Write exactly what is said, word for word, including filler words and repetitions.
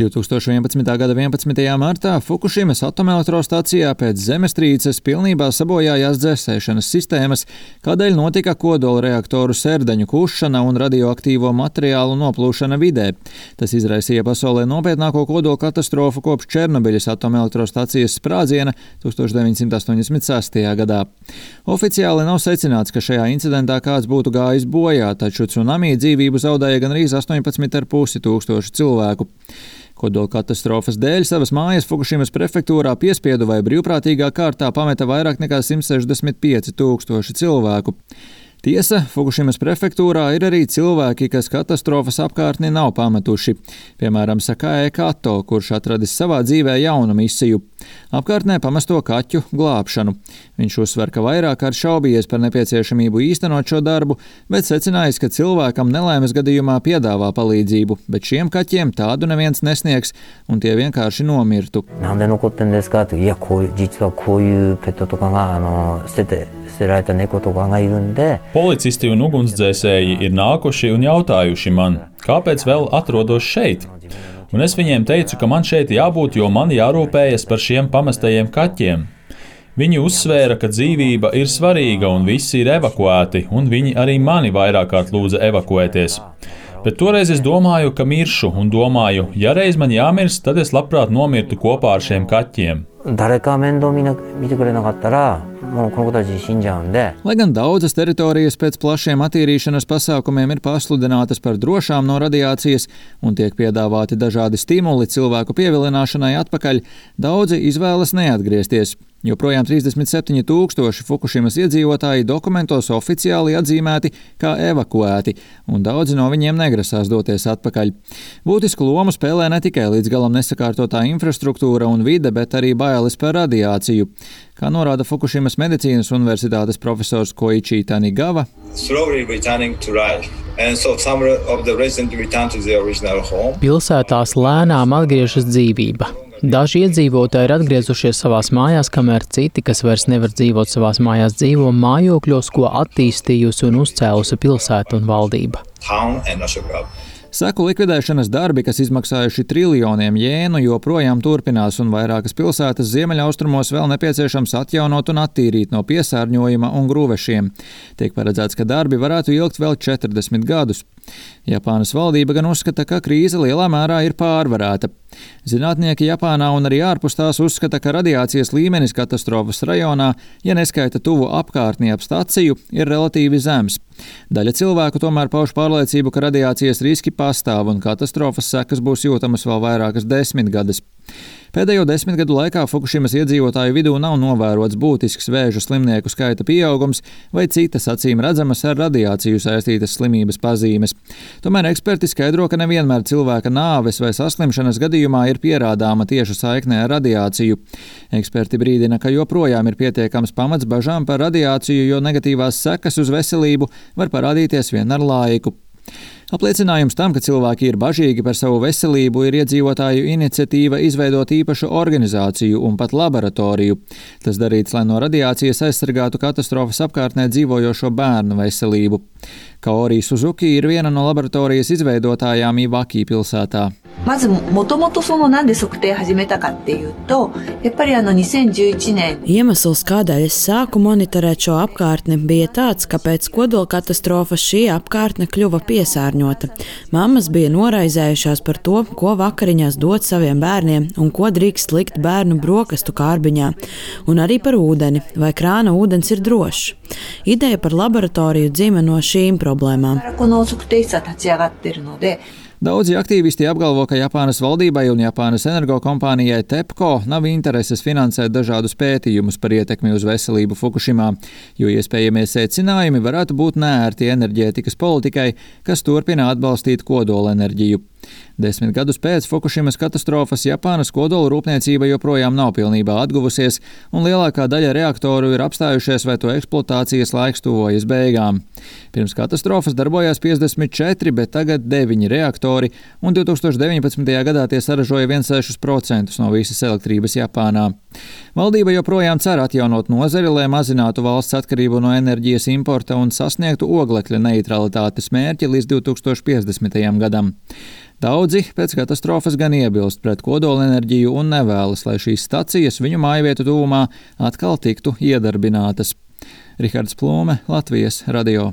divtūkstoš vienpadsmitā gada vienpadsmitajā martā Fukušimas atomelektrostacijā pēc zemestrīces pilnībā sabojājās dzēsēšanas sistēmas, kādēļ notika kodola reaktoru sērdeņu kušana un radioaktīvo materiālu noplūšana vidē. Tas izraisīja pasaulē nopietnāko kodola katastrofu kopš Černobiļas atomelektrostacijas sprādziena tūkstoš deviņsimt astoņdesmit sestajā gadā. Oficiāli nav secināts, ka šajā incidentā kāds būtu gājis bojā, taču cunami dzīvību zaudēja gandrīz astoņpadsmit ar pusi tūkstoši cilvēku. Kodola katastrofas dēļ savas mājas Fukušimas prefektūrā piespiedu vai brīvprātīgā kārtā pameta vairāk nekā simt sešdesmit pieci tūkstoši cilvēku. Tiesa, Fukušimas prefektūrā ir arī cilvēki, kas katastrofas apkārtni nav pametuši. Piemēram, Sakae Kato, kurš atradis savā dzīvē jaunu misiju – apkārtnē pamesto kaķu glābšanu. Viņš uzsver, ka vairāk kārt šaubījies par nepieciešamību īstenot šo darbu, bet secinājis, ka cilvēkam nelaimes gadījumā piedāvā palīdzību, bet šiem kaķiem tādu neviens nesniegs, un tie vienkārši nomirtu. Policisti un ugunsdzēsēji ir nākuši un jautājuši man, kāpēc vēl atrodos šeit. Un es viņiem teicu, ka man šeit jābūt, jo man jārūpējas par šiem pamestajiem kaķiem. Viņi uzsvēra, ka dzīvība ir svarīga un visi ir evakuēti, un viņi arī mani vairāk kārt lūdza evakuēties. Bet toreiz es domāju, ka miršu, un domāju, ja reiz man jāmirst, tad es labprāt nomirtu kopā ar šiem kaķiem. Lai gan daudzas teritorijas pēc plašiem attīrīšanas pasākumiem ir pasludinātas par drošām no radiācijas un tiek piedāvāti dažādi stimuli cilvēku pievilināšanai atpakaļ, daudzi izvēlas neatgriezties. Joprojām trīsdesmit septiņi tūkstoši Fukušimas iedzīvotāji dokumentos oficiāli atzīmēti kā evakuēti, un daudzi no viņiem negrasās doties atpakaļ. Būtisku lomu spēlē ne tikai līdz galam nesakārtotā infrastruktūra un vide, bet arī bailes par radiāciju. Kā norāda Fukušimas medicīnas universitātes profesors Koichi Tanigava, pilsētās lēnām atgriežas dzīvība. Daži iedzīvotāji ir atgriezušies savās mājās, kamēr citi, kas vairs nevar dzīvot savās mājās, dzīvo mājokļos, ko attīstījusi un uzcēlusi pilsēta un valdība. Seku likvidēšanas darbi, kas izmaksājuši triljoniem jēnu, joprojām turpinās, un vairākas pilsētas ziemeļaustrumos vēl nepieciešams atjaunot un attīrīt no piesārņojuma un grūvešiem. Tiek paredzēts, ka darbi varētu ilgt vēl četrdesmit gadus. Japānas valdība gan uzskata, ka krīze lielā mērā ir pārvarēta. Zinātnieki Japānā un arī ārpus tās uzskata, ka radiācijas līmenis katastrofas rajonā, ja neskaita tuvu apkārtni ap staciju, ir relatīvi zems. Daļa cilvēku tomēr pauž pārliecību, ka radiācijas riski pastāv un katastrofas sekas būs jūtamas vēl vairākas desmitgades. Pēdējo desmit gadu laikā Fukušimas iedzīvotāju vidū nav novērots būtisks vēža slimnieku skaita pieaugums vai citas acīm redzamas ar radiāciju saistītas slimības pazīmes. Tomēr eksperti skaidro, ka nevienmēr cilvēka nāves vai saslimšanas gadījumā ir pierādāma tieša saikne ar radiāciju. Eksperti brīdina, ka joprojām ir pietiekams pamats bažām par radiāciju, jo negatīvās sekas uz veselību var parādīties vien ar laiku. Apliecinājums tam, ka cilvēki ir bažīgi par savu veselību, ir iedzīvotāju iniciatīva izveidot īpašu organizāciju un pat laboratoriju. Tas darīts, lai no radiācijas aizsargātu katastrofas apkārtnē dzīvojošo bērnu veselību. Kaori Suzuki ir viena no laboratorijas izveidotājām Iwaki pilsētā. Iemesls, kādēļ es sāku monitorēt šo apkārtni, bija tāds, ka pēc kodola katastrofas šī apkārtne kļuva piesārņota. Mammas bija noraizējušās par to, ko vakariņās dot saviem bērniem un ko drīkst likt bērnu brokastu kārbiņā, un arī par ūdeni, vai krāna ūdens ir drošs. Ideja par laboratoriju dzima no šīm problēmām. Daudzi aktīvisti apgalvo, ka Japānas valdībai un Japānas energokompānijai TEPCO nav intereses finansēt dažādus pētījumus par ietekmi uz veselību Fukušimā, jo iespējamie secinājumi varētu būt neērti enerģētikas politikai, kas turpina atbalstīt kodolenerģiju. Desmit gadus pēc Fukušimas katastrofas Japānas kodola rūpniecība joprojām nav pilnībā atguvusies, un lielākā daļa reaktoru ir apstājušies vai to eksploatācijas laiks tuvojas beigām. Pirms katastrofas darbojās piecdesmit četri, bet tagad deviņi reaktori, un divtūkstoš deviņpadsmitajā gadā tie saražoja viens komats seši procenti no visas elektrības Japānā. Valdība joprojām cer atjaunot nozari, lai mazinātu valsts atkarību no enerģijas importa un sasniegtu oglekļa neitralitātes mērķi līdz divi tūkstoši piecdesmitajam gadam. Daudzi pēc katastrofas gan iebilst pret kodolenerģiju un nevēlas, lai šīs stacijas viņu mājvietu tuvumā atkal tiktu iedarbinātas. Rihards Plūme, Latvijas radio.